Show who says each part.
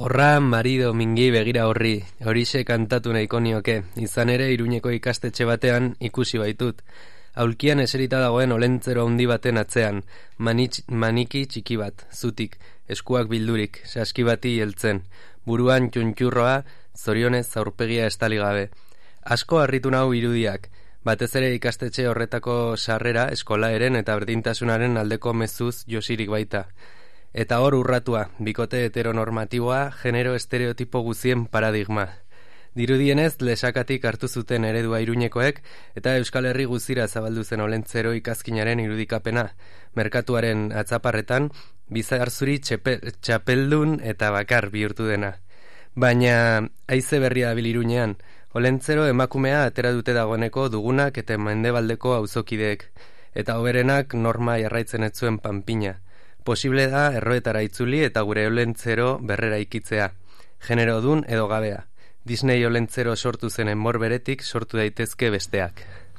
Speaker 1: Horra marido mingi begira horri, horixe kantatu nahiko nioke, izan ere Iruñeko ikastetxe batean ikusi baitut. Aulkian eserita dagoen olentzero handi baten atzean, maniki txiki bat, zutik, eskuak bildurik, saskibati heltzen, buruan txuntxurroa, zorionez aurpegia estali gabe. Asko harritu nau irudiak, batez ere ikastetxe horretako sarrera, eskolaeren eta berdintasunaren aldeko mezuz josirik baita. Eta hor urratua, bikote heteronormatiboa, genero estereotipo guzien paradigma. Dirudienez, lesakatik hartu zuten eredua Iruñekoek, eta Euskal Herri guzira zabaldu zen olentzero ikazkinaren irudikapena, merkatuaren atzaparretan, bizarzuri txapeldun eta bakar bihurtu dena. Baina, haize berria dabil Iruñean, olentzero emakumea atera dute dagoeneko dugunak eta mendebaldeko auzokideek, eta hoberenak norma jarraitzen ez zuen panpina. Posible da erroetara itzuli eta gure olentzero berrera ikitzea, genero dun edo gabea. Disney olentzero sortu zen enbor beretik sortu daitezke besteak.